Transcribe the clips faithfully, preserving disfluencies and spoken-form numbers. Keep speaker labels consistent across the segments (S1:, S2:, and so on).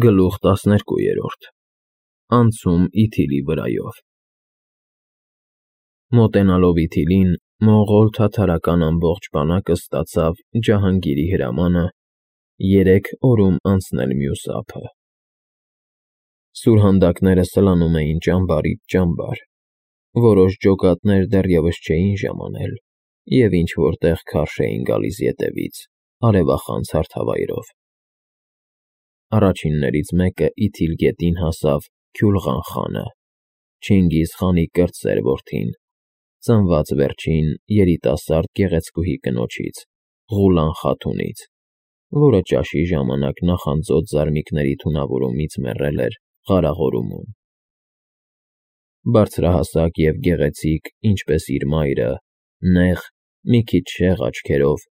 S1: Գլուխ տասներկուերորդ Անցում Իթիլի վրայով Մոտենալով Իթիլին, մոնղոլ թաթարական ամբողջ բանակը ստացավ Ջահանգիրի հրամանը երեք օրում անցնել մյուս ափը։ Սուրհանդակները սլանում էին ճամբարից ճամբար, որոշ ջոկատներ դեռևս չէին ժամանել և ինչ-որ տեղ քարշ էին գալիս ետևից, արևախանձ հարթավայրով։ Առաջիններից մեկը Իթիլ գետին հասավ Քյուլղան խանը, Չինգիզ խանի կրտսեր որդին, ծնված վերջին երիտասարդ գեղեցկուհի կնոջից՝ Ղուլան խաթունից, որը ճաշի ժամանակ նախանձոտ զարմիկների թունավորումից մեռել էր Ղարաղորումում։ Բարձրահասակ և գեղեցիկ, ինչպես իր մայրը, նեղ, մի քիչ շեղ աչքերով,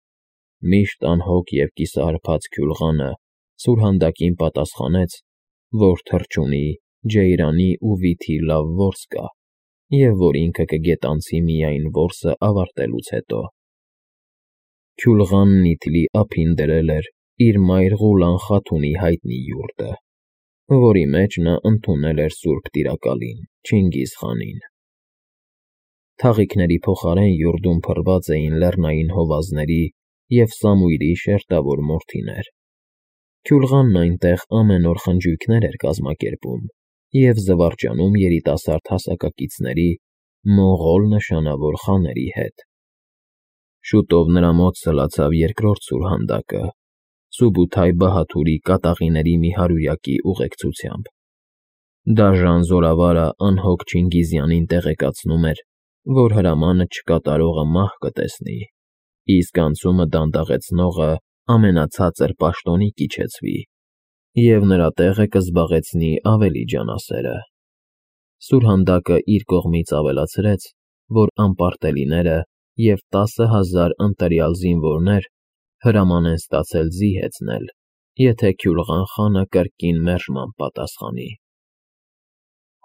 S1: միշտ անհոգ և կիսահարբած Քյուլղանը սուրհանդակին պատասխանեց, որ թռչունի, ջեյրանի ու վիթի լավ որս կա, և որ ինքը կգետանցի միայն որսը ավարտելուց հետո։ Քյուլղանն Իթիլի ափին դրել էր իր մայր Ղուլան խաթունի հայտնի յուրտը, որի մեջ նա ընդունել էր սուրբ տիրակալին՝ Չինգիզ խանին։ Թաղիքների փոխարեն յուրտում փռված էին լեռնային հովազների և Սամույրի շերտավոր մորթիներ։ Քյուլղանն այնտեղ ամեն օր խնջույքներ էր կազմակերպում և զվարճանում երիտասարդ հասակակիցների, մոնղոլ նշանավոր խաների հետ։ Շուտով նրա մոտ սլացավ երկրորդ սուրհանդակը՝ Սուբութայ-Բահադուրի կատաղիների մի հարյուրյակի ուղեկցությամբ։ Դաժան զորավարը անհոգ Չինգիզյանին տեղեկացնում էր, որ հրամանը չկատարողը մահ կտեսնի, իսկ անցումը դանդաղեցնողը ամենացածր պաշտոնի կիչեցվի, և նրա տեղը կզբաղեցնի ավելի ջանասերը։ Սուրհանդակը իր կողմից ավելացրեց, որ անպարտելիները և տասը հազար ընտրյալ զինվորներ հրաման են ստացել ձի հեծնել, եթե Քյուլղան խանը կրկին մերժմամբ պատասխանի։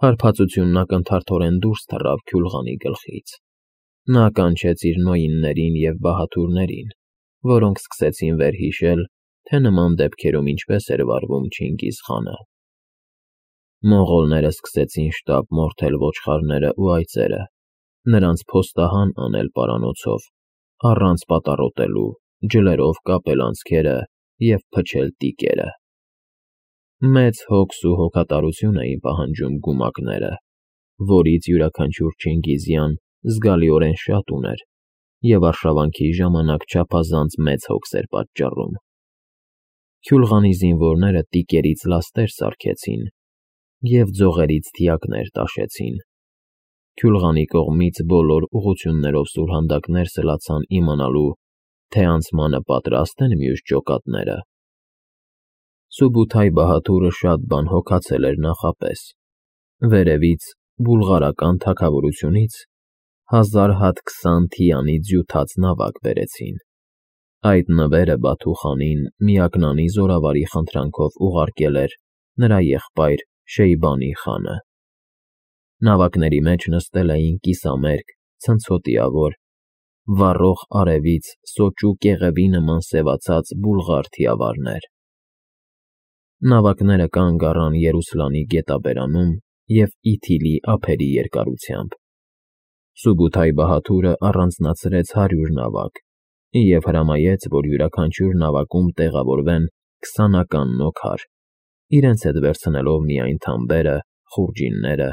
S1: Հարբածությունն ակնթարթորեն դուրս թռավ Քյուլղանի գլխից։ Նա կանչեց իր նոյիններին և բահադուրներին, որոնք սկսեցին վերհիշել, թե նման դեպքերում ինչպես էր վարվում Չինգիզ խանը։ Մոնղոլները սկսեցին շտապ մորթել ոչխարներն ու այծերը, նրանց փոստահան անել պարանոցով, առանց պատառոտելու, ջլերով կապել անցքերը և փչել տիկերը։ Մեծ հոգս ու հոգատարություն էին պահանջում գումակները, որից յուրաքանչյուր չինգիզյան զգալիորեն շատ ուներ և արշավանքի ժամանակ չափազանց մեծ հոգս էր պատճառում։ Քյուլղանի զինվորները տիկերից լաստեր սարքեցին և ձողերից թիակներ տաշեցին։ Քյուլղանի կողմից բոլոր ուղղություններով սուրհանդակներ սլացան իմանալու, թե անցմանը պատրաստ են մյուս ջոկատները։ Սուբութայ-Բահադուրը շատ բան հոգացել էր նախապես։ Վերևից, բուլղարական թագավորությունից հազար հատ քսան թիանի ձյուտած նավակ բերեցին։ Այդ նվերը Բաթու խանին միակնանի զորավարի խնդրանքով ուղարկել էր նրա եղբայր Շեյբանի խանը։ Նավակների մեջ նստել էին կիսամերկ, ցնցոտիավոր, վառող արևից սոճու կեղևի նման սևացած բուլղար թիավարներ։ Նավակները կանգ առան Երուսլանի գետաբերանում և Իթիլի ափերի երկարությամբ։ Սուբութայ-Բահադուրը առանձնացրեց հարյուր նավակ և հրամայեց, որ յուրաքանչյուր նավակում տեղավորվեն քսանական նոքար, իրենց հետ վերցնելով միայն թամբերը, խուրջինները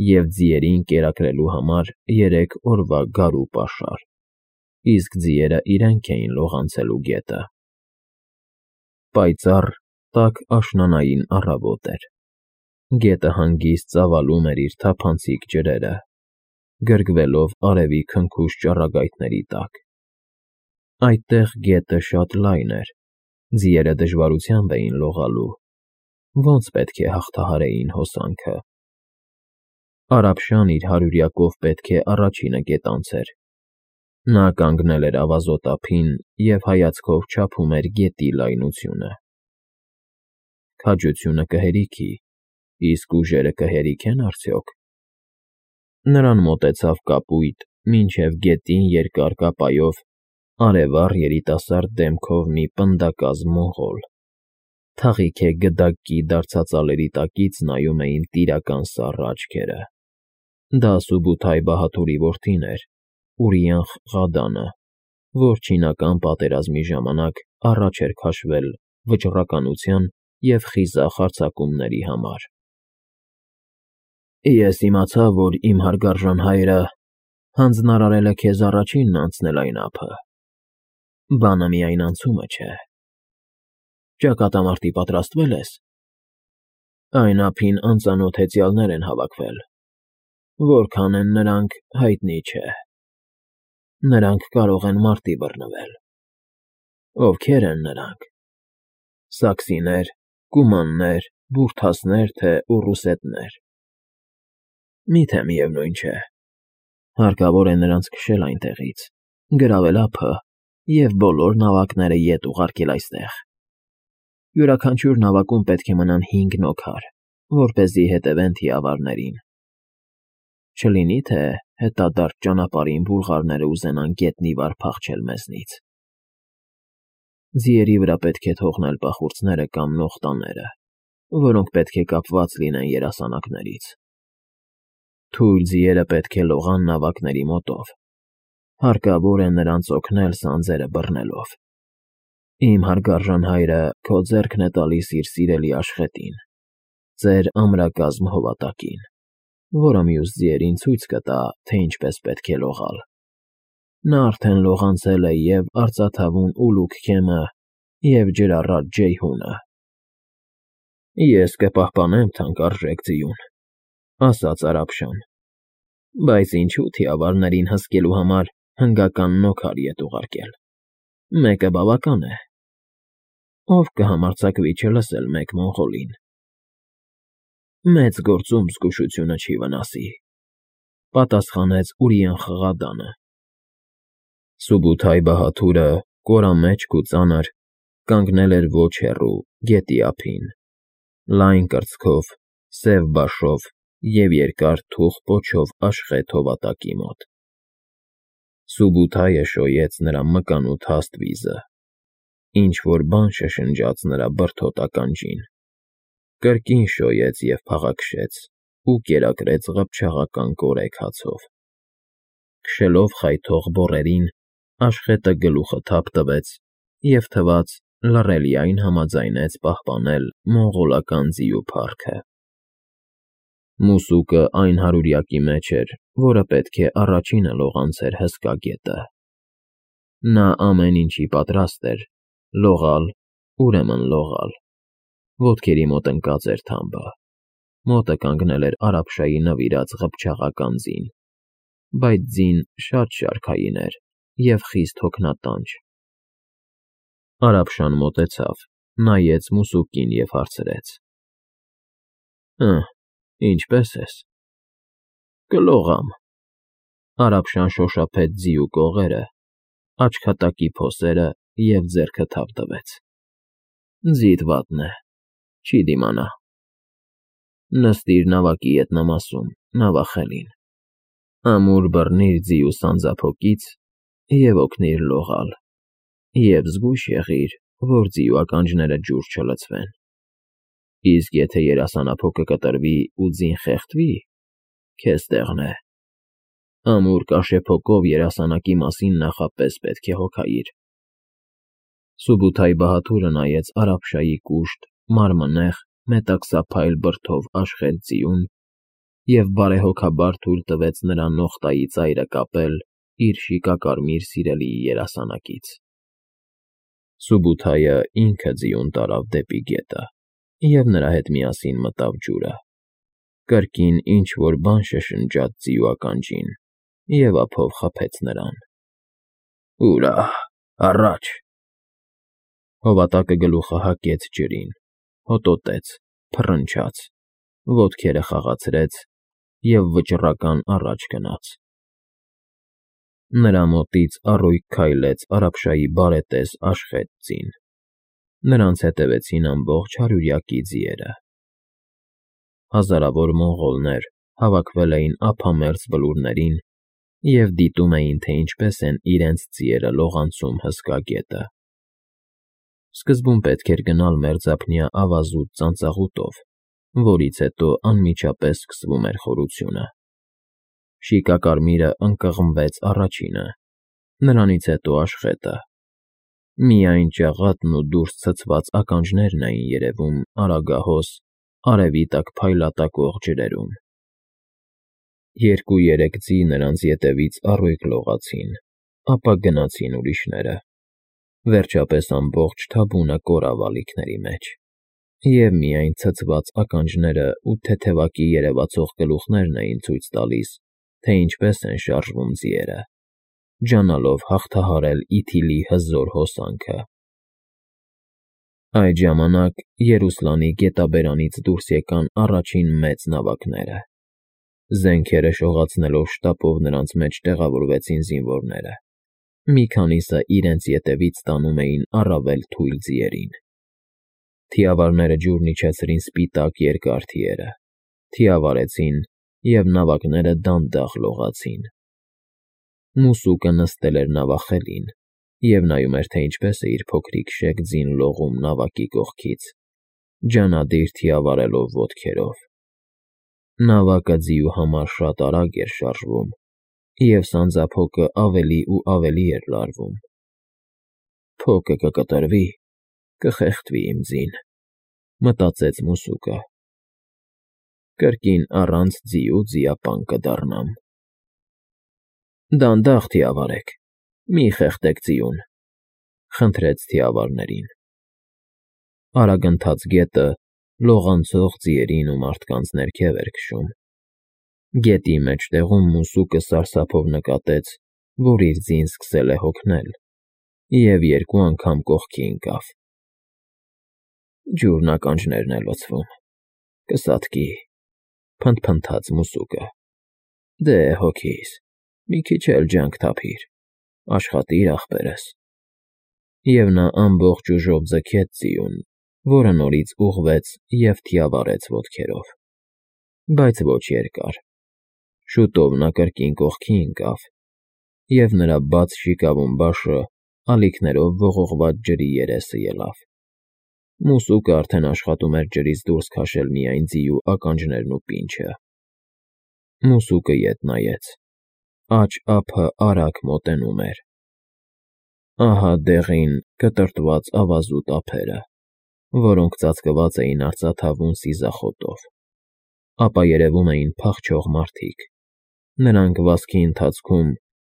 S1: և ձիերին կերակրելու համար երեք օրվա գարու պաշար, իսկ ձիերը իրենք էին լողանցելու գետը։ Պայծառ, տաք աշնանային առավոտ էր։ Գետը հանգիստ ծավալում էր իր թափանցիկ ջրերը, գրգվելով արևի քնքուշ ճառագայթների տակ։ Այդտեղ գետը շատ լայն էր, ձիերը դժվարությամբ էին լողալու, ոնց պետք է հաղթահարեին հոսանքը։ Արաբշան իր հարյուրյակով պետք է առաջինը գետանցեր։ Նա կանգնել էր ավազոտ ափին և հայացքով չափում էր գետի լայնությունը։ Քաջությունը կհերիքի, իսկ ուժերը կհերիքե՞ն արդյոք։ Նրան մոտեցավ կապույտ, մինչև գետին երկար կապայով, արևառ երիտասարդ դեմքով մի պնդակազմ մոնղոլ։ Թաղիք է գդակի դարձածալերի տակից նայում էին տիրական սառը աչքերը։ Դա Սուբութայ Բահաթուրի որդին էր, Ուրիանխ Ղադանը, որ չինական պատերազմի ժամանակ առաջ էր քաշվել վճռականության և խիզախ հարձակումների համար։ Ես իմացա, որ իմ հարգարժան հայրը հանձնարարել է քեզ առաջինն անցնել այն ափը, բանը միայն անցումը չէ։ Ճակատամարտի պատրաստվե՞լ ես։ Այն ափին անծանոթ հեծյալներ են հավաքվել, որքան են նրանք, հայտնի չէ։ Նրանք կարող են մարտի բռնվել։ Ովքեր են նրանք։ Սաքսիներ, կումաններ, բուրդասներ, թե ուռուսետներ։ Միթե միևնույն չէ։ Հարկավոր է նրանց քշել այնտեղից, գրավել ափը և բոլոր նավակները ետ ուղարկել այստեղ։ Յուրաքանչյուր նավակում պետք է մնան հինգ նոքար, որպեսզի հետևեն թիավարներին։ Չլինի, թե հետադարձ ճանապարհին բուլղարները ուզենան գետնի վար փախչել մեզնից։ Ձիերի վրա պետք է թողնել պախուրձները կամ նողտաները, որոնք պետք է կապված լինեն երասանակներից։ Թույլ ձիերը պետք է լողան նավակների մոտով։ Հարկավոր է նրանց օգնել սանձերը բռնելով։ Իմ հարգարժան հայրը քո ձեռքն է տալիս իր սիրելի աշխատին, ձեր ամրակազմ հովատակին, որը մյուս ձիերին ցույց կտա, թե ինչպես պետք է լողալ։ Նա արդեն լողանցել է և արծաթավուն Ուլուգ Քեմը, և ջրառատ Ջեյհունը։ Ես կպահպանեմ թանկարժեք ձիուն, ասաց Արաբշան, բայց ինչու թիավարներին հսկելու համար հնգական նոքար ետ ուղարկել։ Մեկը բավական է։ Ով կհամարձակվի չլսել մեկ մոնղոլին։ Մեծ գործում զգուշությունը չի վնասի, պատասխանեց Ուրիանխ Ղադանը։ Սուբութայ Բահաթուրը, կորամեջք ու ծանր, կանգնել էր ոչ հեռու, գետի ափին, լայն կրծքով, սև բաշով և երկար թուխ պոչով աշխատի հովատակի մոտ։ Սուբութայը շոյեց նրա մկանուտ հաստ վիզը, ինչ֊որ բան շշնջաց նրա բրդոտ ականջին, կրկին շոյեց և փաղաքշեց ու կերակրեց ղփչաղական կորեք հացով։ Քշելով խայթող բոռերին, աշխատը գլուխը թափ տվեց և թվաց լռելիայն համաձայնեց պահպանել մոնղոլական ձիու փառքը։ Մուսուկը այն հարուրյակի մեջ էր, որը պետք է առաջինը լողանցեր հսկա գետը։ Նա ամեն ինչի պատրաստ էր, լողալ, ուրեմն լողալ։ Ոտքերի մոտ ընկած էր թամբը, մոտը կանգնել էր Արաբշայի նվիրած ղփչաղական ձին, բայց ձին շատ շարքային էր և խիստ հոգնատանջ։ Արաբշան մոտեցավ, նայեց մուսուկին և հարցրեց. Հը, ինչպե՞ս ես։ Կլողամ։ Արաբշան շոշափեց ձիու կողերը, աչքատակի փոսերը և ձեռքը թափ տվեց։ Ձիդ վատն է, չի դիմանա։ Նստիր նավակի ետնամասում, նավախելին, ամուր բռնիր ձիու սանձափոկից և օգնիր լողալ, և զգույշ եղիր, որ ձիու ականջները ջուր չլցվեն։ Իսկ եթե երասանափոկը կտրվի ու ձին խեղդվի, քեզ տեղն է։ Ամուր կաշեփոկով երասանակի մասին նախապես պետք է հոգայիր։ Սուբութայ Բահաթուրը նայեց Արաբշայի կուշտ, մարմնեղ, մետաքսափայլ բրդով աշխտ ձիուն և բարեհոգաբար թույլ տվեց նրա նողտայի ծայրը կապել իր շիկակարմիր սիրելիի երասանակից։ Սուբութայը ինքը ձիուն տարավ դեպի գետը և նրա հետ միասին մտավ ջուրը։ Կրկին ինչ֊որ բան շշնջաց ձիու ականջին և ափով խփեց նրան։ Ուրա՜, առաջ։ Հովատակը գլուխը հակեց ջրին, հոտոտեց, փռնչաց, ոտքերը խաղացրեց և վճռական առաջ գնաց։ Նրա մոտից առույգ քայլեց Արաբշայի բարետես աշխտ ձին։ Նրանց հետևեցին ամբողջ հարյուրյակի ձիերը։ Հազարավոր մոնղոլներ հավաքվել էին ափամերձ բլուրներին և դիտում էին, թե ինչպես են իրենց ձիերը լողանցում հսկա գետը։ Սկզբում պետք էր գնալ մերձափնյա ավազուտ ծանծաղուտով, որից հետո անմիջապես սկսվում էր խորությունը։ Շիկակարմիրը ընկղմվեց առաջինը, նրանից հետո աշխատը։ Միայն ճաղատն ու դուրս ցցված ականջներն էին երևում արագահոս, արևի տակ փայլատակող ջրերում։ Երկու֊երեք ձի նրանց ետևից առույգ լողացին, ապա գնացին ուրիշները։ Վերջապես ամբողջ թավունը կորավ ալիքների մեջ, և միայն ցցված ականջներն ու թեթևակի երևացող գլուխներն էին ցույց տալիս, թե ինչպես են շարժվում ձիերը, ջանալով հաղթահարել իթիլի հզոր հոսանքը։ Այդ ժամանակ Երուսլանի գետաբերանից դուրս եկան առաջին մեծ նավակները։ Զենքերը շողացնելով շտապով նրանց մեջ տեղավորվեցին զինվորները։ Մի քանիսը իրենց ետևից տանում էին առավել թույլ ձիերին։ Թիավարները ջուրն իջեցրին սպիտակ երկար թիերը, թիավարեցին, և նավակները դանդաղ լողացին։ Մուսուկը նստել էր նավախելին և նայում էր, թե ինչպես է իր փոքրիկ շեք ձին լողում նավակի կողքից, ջանադիր թիավարելով ոտքերով։ Նավակը ձիու համար շատ արագ էր շարժվում, և սանձափոկը ավելի ու ավելի էր լարվում։ «Փոկը կկտրվի, կխեղդվի իմ ձին», մտածեց մուսուկը։ «Կրկին առանց ձի ու ձիապան կդառնամ»։ «Դանդաղ թիավարեք, մի խեղդեք ձիուն», խնդրեց թիավարներին։ Արագընթաց գետը լողանցող ձիերին ու մարդկանց ներքև էր քշում։ Գետի մեջտեղում մուսուկը սարսափով նկատեց, որ իր ձին սկսել է հոգնել, և երկու անգամ կողքի ընկավ։ «Ջուրն ականջներն է լցվում, կսատկի», փնթփնթաց մուսուկը։ «Դե, հոգիս, մի քիչ էլ ջանք թափիր, աշխատիր, ախպերս»։ Եվ նա ամբողջ ուժով ձգեց ձիուն, որը նորից ուղղվեց և թիավարեց ոտքերով։ Բայց ոչ երկար։ Շուտով նա կրկին կողքի ընկավ, և նրա բաց շիկավուն բաշը ալիքներով ողողված ջրի երեսը ելավ։ Մուսուկը արդեն աշխատում էր ջրից դուրս քաշել միայն ձիու ականջներն ու պինչը։ Մուսուկը ետ նայեց։ Աջ ափը արագ մոտենում էր։ Ահա դեղին, կտրտված ավազուտ ափերը, որոնք ծածկված էին արծաթավուն սիզախոտով։ Ապա երևում էին փախչող մարդիկ։ Նրանք վազքի ընթացքում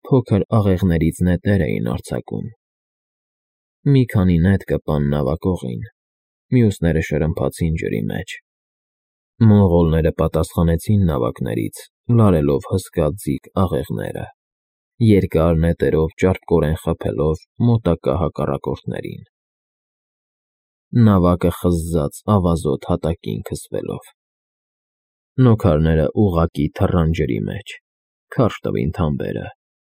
S1: փոքր աղեղներից նետեր էին արձակում։ Մի քանի նետ կպան նավակողին, մյուսները շրմփացին ջրի մեջ։ Մոնղոլները պատասխանեցին նավակներից, լարելով հսկա ձիգ աղեղները, երկար նետերով ճարպկորեն խփելով մոտակա հակառակորդներին։ Նավակը խզզաց ավազոտ հատակին քսվելով։ Նոքարները ուղղակի թռան ջրի մեջ, քարշ տվին թամբերը,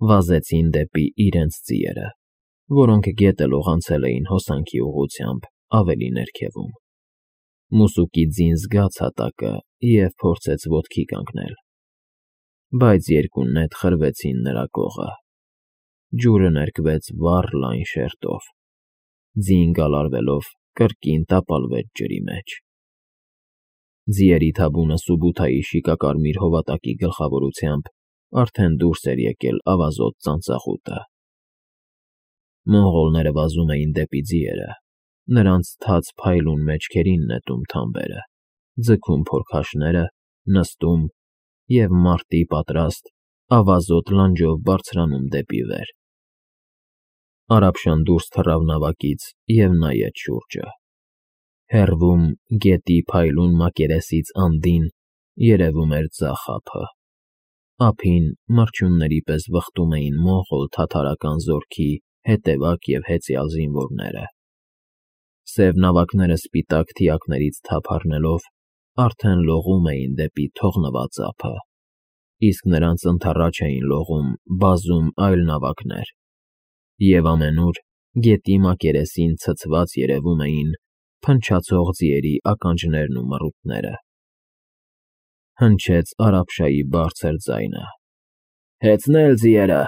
S1: վազեցին դեպի իրենց ձիերը, որոնք գետը լողանցել էին հոսանքի ուղղությամբ ավելի ներքևում։ Մուսուկի ձին զգաց հատակը և փորձեց ոտքի կանգնել։ Բայց երկու նետ խրվեցին նրա կողը։ Ջուրը ներկվեց վառ լայն շերտով։ Ձին գալարվելով կրկին տապալվեց ջրի մեջ։ Ձիերի թավունը Սուբութայի շիկակարմիր հովատակի գլխավորությամբ արդեն դուրս էր եկել ավազոտ ծանծաղուտը։ Մոնղոլները վազում էին դեպի ձիերը, նրանց թաց փայլուն մեջքերին նետում թամբերը, ձգում փորքաշները, նստում և, մարտի պատրաստ, ավազոտ լանջով բարձրանում դեպի վեր։ Արաբշան դուրս թռավ նավակից և նայեց շուրջը։ Հեռվում, գետի փայլուն մակերեսից անդին, երևում էր ձախ ափը։ Ափին մրջյունների պես վխտում էին մոնղոլ֊թաթարական զորքի հետևակ և հեծյալ զինվորները։ Սև նավակները սպիտակ թիակներից թափ առնելով արդեն լողում էին դեպի թողնված ափը, իսկ նրանց ընդառաջ էին լողում բազում այլ նավակներ, և ամենուր գետի մակերեսին ցցված երևում էին փնչացող ձիերի ականջներն ու մռութները։ Հնչեց Արաբշայի բարձր ձայնը. «Հեծնել, ձիերը,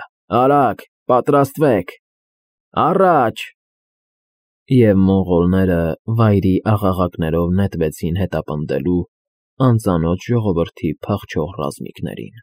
S1: արագ, պատրաստվեք, առաջ»։ Եվ մոնղոլները վայրի աղաղակներով նետվեցին հետապնդելու անծանոթ ժողովրդի փախչող ռազմիկներին։